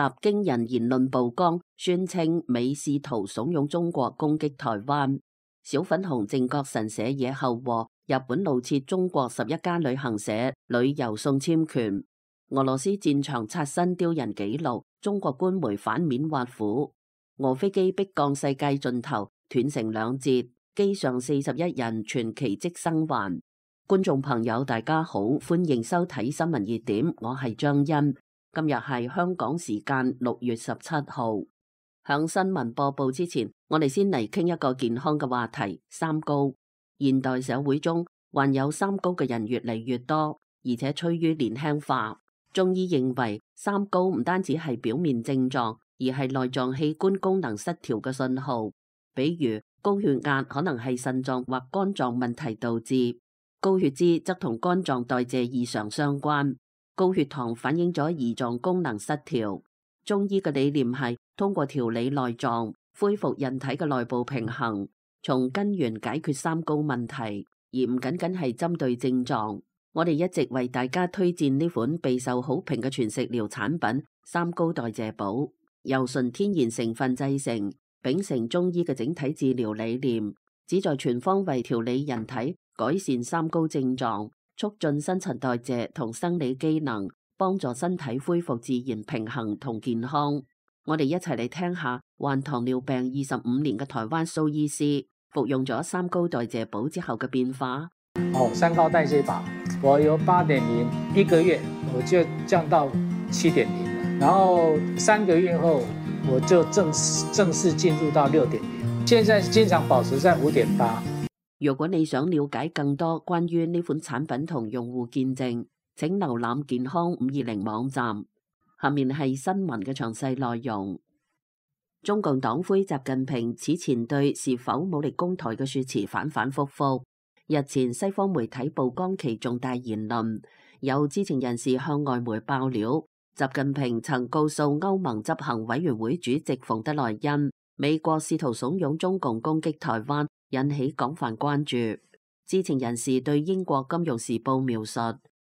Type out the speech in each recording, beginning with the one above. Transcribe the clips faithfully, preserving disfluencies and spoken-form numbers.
驚人言論曝光，宣稱美試圖慫恿中國攻擊台灣。小粉紅正覺神社野後禍，日本怒撤中國十一家旅行社旅遊送簽權。俄羅斯戰場刷新丟人紀錄，中國官媒反面挖苦。俄飛機迫降世界盡頭，斷成兩截，機上四十一人全奇蹟生還。觀眾朋友大家好，歡迎收睇新聞熱點，我係張欣。今日係香港時間六月十七號。響新聞播報之前，我哋先嚟傾一個健康嘅話題：三高。現代社會中患有三高嘅人越嚟越多，而且趨於年輕化。中醫認為，三高唔單止係表面症狀，而係內臟器官功能失調嘅信號。比如高血壓可能係腎臟或肝臟問題導致，高血脂則同肝臟代謝異常相關，高血糖反映咗胰臟功能失調。中醫嘅理念係通過調理內臟，恢復人體嘅內部平衡，從根源解決三高問題，而唔僅僅係針對症狀。我哋一直為大家推薦呢款備受好評嘅全食療產品三高代謝寶，由純天然成分製成，秉承中醫嘅整體治療理念，旨在全方位調理人體，改善三高症狀，促進新陳代謝同生理機能，幫助身體恢復自然平衡同健康。我哋一齊嚟聽下患糖尿病二十五年嘅台灣蘇醫師服用咗三高代謝寶之後嘅變化。哦，三高代謝寶，我由八點零一個月我就降到七點零了，然後三個月後我就正式正式進入到六點零，現在經常保持在五點八。如果你想了解更多關於呢款產品同用戶見證，請瀏覽健康五二零網站。下面係新聞嘅詳細內容。中共黨魁習近平此前對是否武力攻台嘅說辭反反复复。日前西方媒體曝光其重大言論，有知情人士向外媒爆料，習近平曾告訴歐盟執行委員會主席馮德萊恩，美國試圖慫恿中共攻擊台灣，引起廣泛關注。知情人士對英國金融時報描述，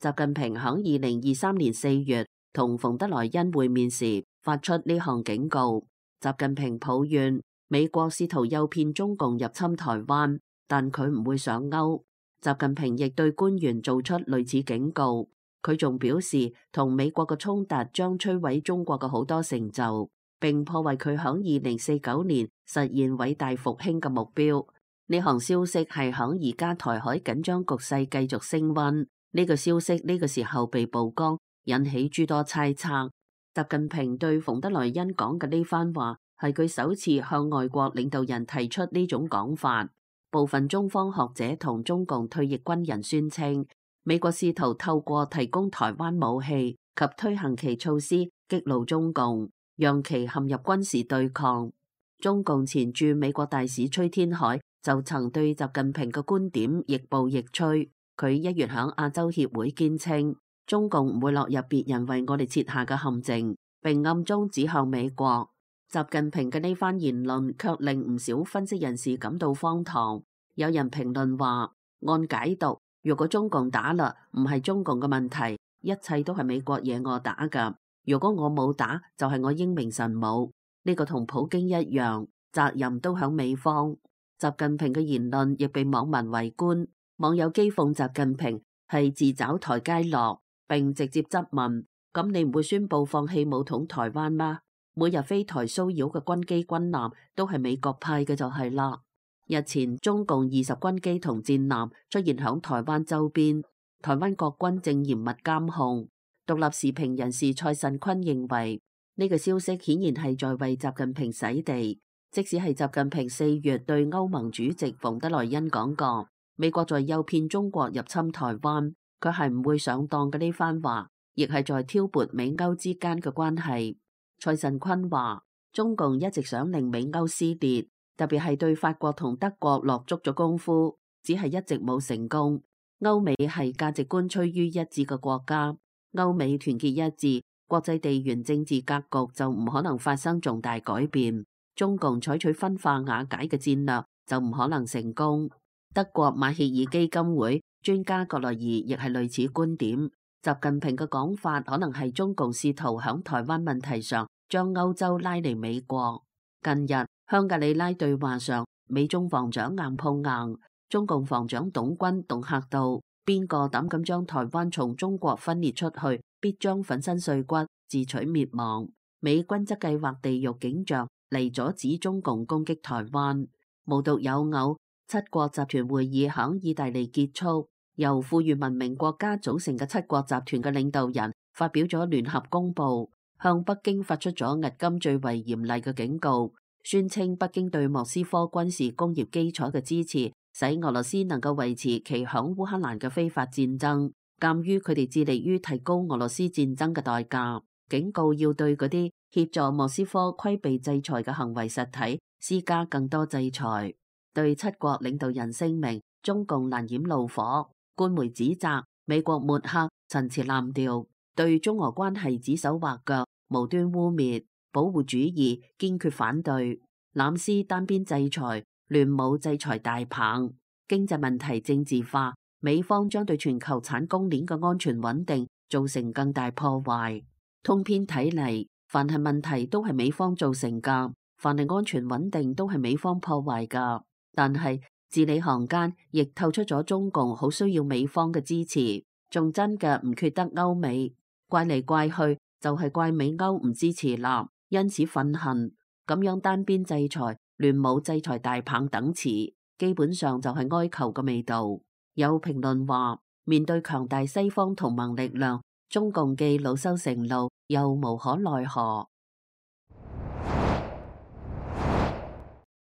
習近平響二零二三年四月同馮德萊恩會面時發出呢項警告。習近平抱怨美國試圖誘騙中共入侵台灣，但佢唔會上鈎。習近平亦對官員做出類似警告。佢仲表示，同美國嘅衝突將摧毀中國嘅好多成就，並破壞佢響二零四九年實現偉大復興嘅目標。呢項消息係響而家台海緊張局勢繼續升溫，呢個消息呢個時候被曝光，引起諸多猜測。習近平對馮德萊恩講嘅呢番話係佢首次向外國領導人提出呢種講法。部分中方學者同中共退役軍人宣稱，美國試圖透過提供台灣武器及推行其措施激怒中共，讓其陷入軍事對抗。中共前駐美國大使崔天凱就曾對習近平嘅觀點亦步亦趨。佢一月響亞洲協會堅稱，中共唔會落入別人為我哋設下嘅陷阱，並暗中指向美國。習近平嘅呢番言論卻令唔少分析人士感到荒唐。有人評論話，按解讀，如果中共打啦，唔係中共嘅問題，一切都係美國惹我打噶。如果我冇打，就係我英明神武。呢個同普京一樣，責任都響美方。習近平嘅言論亦被網民圍觀，網友譏諷習近平係自找台階落，並直接質問：咁你唔會宣布放棄武統台灣嗎？每日飛台騷擾嘅軍機軍艦都係美國派嘅就係啦。日前中共二十軍機同戰艦出現響台灣周邊，台灣國軍正嚴密監控。獨立時評人士蔡慎坤認為，呢個消息顯然係在為習近平洗地。即使係習近平四月對歐盟主席馮德萊恩講過美國在誘騙中國入侵台灣，佢係唔會上當嘅呢番話，亦係在挑撥美歐之間嘅關係。蔡慎坤話，中共一直想令美歐撕裂，特別係對法國同德國落足咗功夫，只係一直冇成功。歐美係價值觀趨於一致嘅國家，歐美團結一致，國際地緣政治格局就唔可能發生重大改變。中共採取分化瓦解嘅戰略就唔可能成功。德國馬歇爾基金會專家格萊爾亦係類似觀點。習近平嘅講法可能係中共試圖響台灣問題上將歐洲拉嚟美國。近日香格里拉對話上，美中防長硬碰硬，中共防長董軍恫嚇道：邊個膽敢將台灣從中國分裂出去，必將粉身碎骨，自取滅亡。美軍則計劃地獄景象嚟阻止中共攻擊台灣。無獨有偶，七國集團會議響意大利結束，由富裕文明國家組成嘅七國集團嘅領導人發表咗聯合公報，向北京發出咗迄今最為嚴厲嘅警告，宣稱北京對莫斯科軍事工業基礎嘅支持，使俄羅斯能夠維持其響烏克蘭嘅非法戰爭。鑑於佢哋致力於提高俄羅斯戰爭嘅代價，警告要對嗰啲協助莫斯科規避制裁嘅行為實體施加更多制裁。對七國領導人聲明，中共難掩怒火，官媒指責美國抹黑、陳詞濫調，對中俄關係指手畫腳、無端污蔑，保護主義堅決反對，濫施單邊制裁，亂舞制裁大棒，經濟問題政治化，美方將對全球產供鏈嘅安全穩定造成更大破壞。通篇睇嚟，凡係問題都係美方造成噶，凡係安全穩定都係美方破壞噶。但係字裏行間亦透出咗中共好需要美方嘅支持，仲真嘅唔缺得歐美，怪嚟怪去就係怪美歐唔支持啦，因此憤恨。咁樣單邊制裁、亂舞制裁大棒等詞，基本上就係哀求嘅味道。有評論話，面對強大西方同盟力量，中共既惱羞成怒，又無可奈何。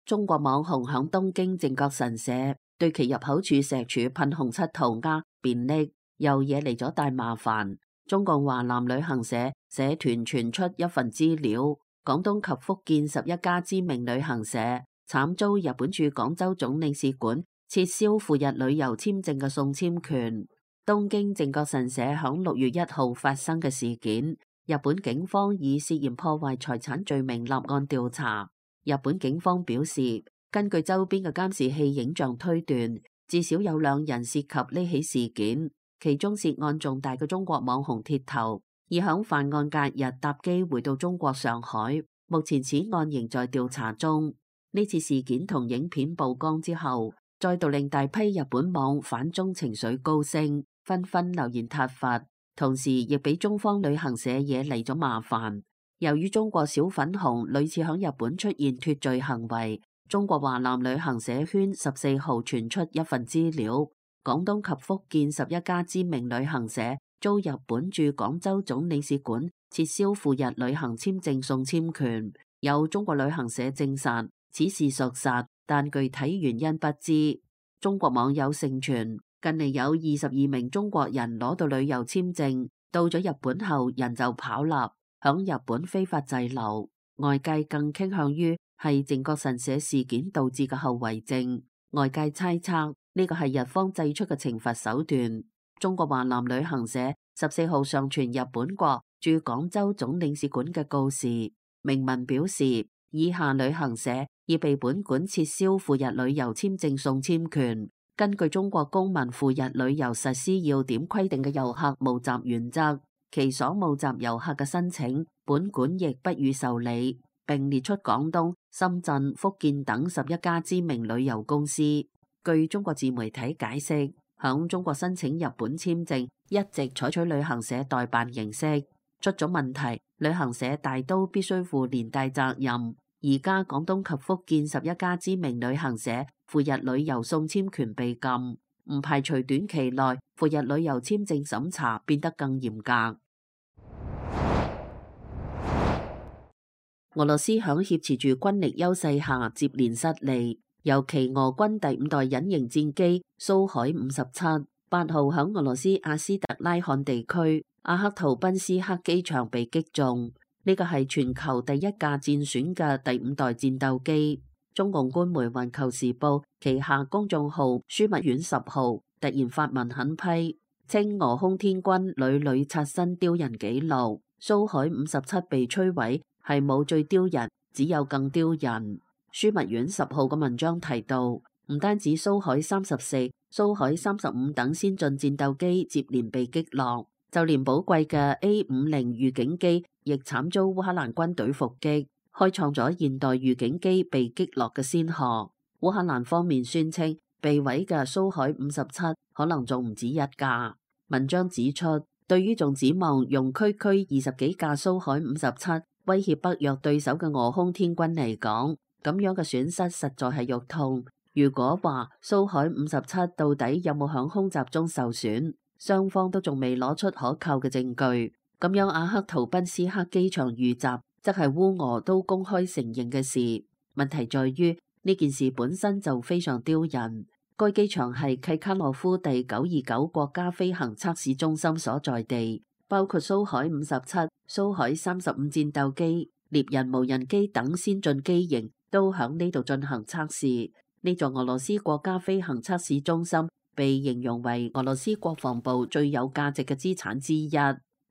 中國網紅響東京靖國神社對其入口處石柱噴紅漆塗鴉便溺，又惹嚟咗大麻煩。中共華南旅行社社團傳出一份資料，廣東及福建十一家知名旅行社慘遭日本駐廣州總領事館撤銷赴日旅遊簽證嘅送簽權。東京靖國神社響六月一號發生嘅事件，日本警方以涉嫌破壞財產罪名立案調查。日本警方表示，根據周邊嘅監視器影像推斷，至少有兩人涉及呢起事件，其中涉案重大嘅中國網紅鐵頭已響犯案隔日搭機回到中國上海，目前此案仍在調查中。呢次事件同影片曝光之後，再度令大批日本網反中情緒高升，紛紛留言撻伐，同時亦俾中方旅行社惹嚟咗麻煩。由於中國小粉紅屢次響日本出現脫罪行為，中國華南旅行社圈十四號傳出一份資料，廣東及福建十一家知名旅行社遭日本駐廣州總領事館撤銷赴日旅行簽證送簽權。有中國旅行社證實此事屬實，但具體原因不知。中國網友盛傳，近嚟有二十二名中國人攞到旅遊簽證，到咗日本後人就跑啦，響日本非法滯留，外界更傾向於係靖國神社事件導致嘅後遺症。外界猜測呢個係日方祭出嘅懲罰手段。中國華南旅行社十四號上傳日本國駐廣州總領事館嘅告示，明文表示以下旅行社已被本館撤銷赴日旅遊簽證送簽權。根據中國公民赴日旅遊實施要點規定嘅遊客募集原則，其所募集遊客嘅申請，本館亦不予受理，並列出廣東、深圳、福建等十一家知名旅遊公司。據中國自媒體解釋，響中國申請日本簽證一直採取旅行社代辦形式，出咗問題，旅行社大都必須負連帶責任。而家廣東及福建十一家知名旅行社赴日旅遊送簽權被禁，唔排除短期內赴日旅遊簽證審查變得更嚴格。俄羅斯響挾持住軍力優勢下接連失利，尤其俄軍第五代隱形戰機蘇海五十七八號響俄羅斯阿斯特拉罕地區阿克圖賓斯克機場被擊中。呢個係全球第一架戰損嘅第五代戰鬥機。中共官媒《環球時報》旗下公眾號樞密院十號突然發文狠批，稱俄空天軍屢屢刷新丟人紀錄，蘇海五十七被摧毀係冇最丟人，只有更丟人。樞密院十號嘅文章提到，唔單止蘇海三十四、蘇海三十五等先進戰鬥機接連被擊落，就連寶貴嘅 A 五十預警機亦慘遭烏克蘭軍隊伏擊，開創咗現代預警機被擊落嘅先河。烏克蘭方面宣稱被毀嘅蘇海五十七可能仲唔止一架。文章指出，對於仲指望用區區二十幾架蘇海五十七威脅北約對手嘅俄空天軍嚟講，咁樣嘅損失實在係肉痛。如果話蘇海五十七到底有冇響空襲中受損，雙方都仲未攞出可靠嘅證據。咁樣阿克圖賓斯克機場遇襲，則係烏俄都公開承認嘅事。問題在於呢件事本身就非常丟人。該機場係契卡洛夫第九二九國家飛行測試中心所在地，包括蘇海五十七、蘇海三十五戰鬥機、獵人無人機等先進機型都響呢度進行測試。呢座俄羅斯國家飛行測試中心被形容為俄羅斯國防部最有價值嘅資產之一。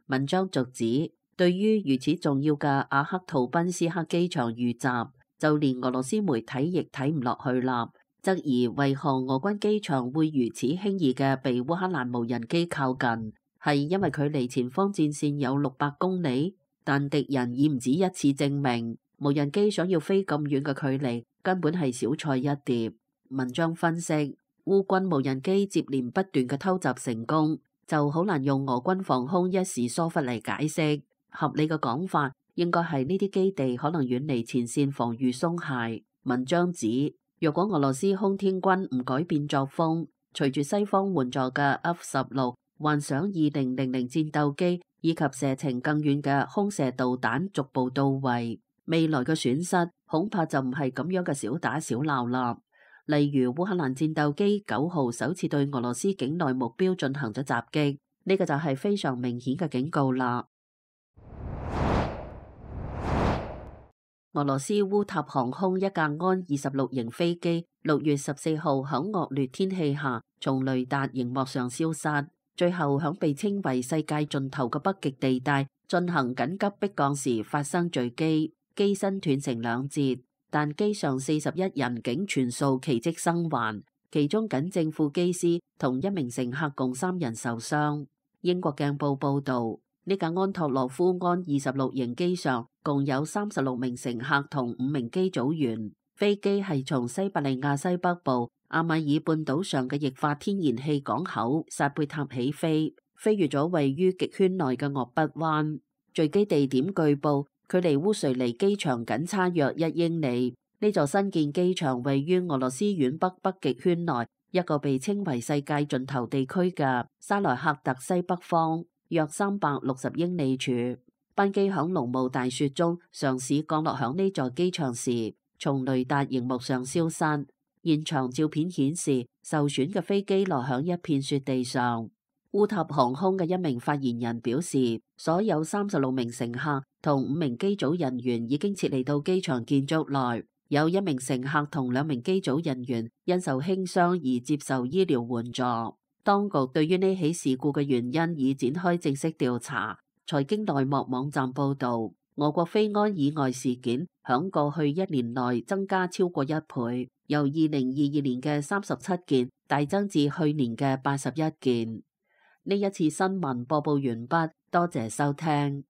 文章續指，對於如此重要嘅阿克圖賓斯克機場遇襲，就連俄羅斯媒體亦睇唔落去啦。質疑為何俄軍機場會如此輕易嘅被烏克蘭無人機靠近，係因為距離前方戰線有六百公里，但敵人已唔止一次證明無人機想要飛咁遠嘅距離根本係小菜一碟。文章分析，烏軍無人機接連不斷嘅偷襲成功，就好難用俄軍防空一時疏忽嚟解釋。合理嘅講法應該係呢啲基地可能遠離前線防禦鬆懈。文章指，若果俄羅斯空天軍唔改變作風，隨住西方援助嘅 F 十六、幻想二零零零戰鬥機以及射程更遠嘅空射導彈逐步到位，未來嘅損失恐怕就唔係咁樣嘅小打小鬧啦。例如烏克蘭戰鬥機九號首次對俄羅斯境內目標進行咗襲擊，呢個就係非常明顯嘅警告啦。俄羅斯烏塔航空一架安二十六型飛機，六月十四號響惡劣天氣下從雷達熒幕上消失，最後響被稱為世界盡頭嘅北極地帶進行緊急迫降時發生墜機，機身斷成兩截，但機上四十一人竟全數奇蹟生還，其中僅正副機師同一名乘客共三人受傷。英國鏡報報道，呢架安托洛夫安二十六型機上共有三十六名乘客同五名機組員，飛機係從西伯利亞西北部阿米爾半島上嘅液化天然氣港口薩貝塔起飛，飛越咗位於極圈內嘅鄂北灣。墜機地點據報距離烏瑞尼機場僅差約一英里。呢座新建機場位於俄羅斯遠北北極圈內一個被稱為世界盡頭地區嘅沙萊克特西北方約三百六十英里處。班機響濃霧大雪中嘗試降落響呢座機場時，從雷達熒幕上消失。現場照片顯示，受損嘅飛機落響一片雪地上。烏塔航空嘅一名發言人表示，所有三十六名乘客同五名機組人員已經撤離到機場建築內，有一名乘客同兩名機組人員因受輕傷而接受醫療援助。當局對於呢起事故嘅原因已展開正式調查。財經內幕網站報道，俄國飛安意外事件響過去一年內增加超過一倍，由二零二二年嘅三十七件大增至去年嘅八十一件。呢一次新聞播報完畢，多謝收聽。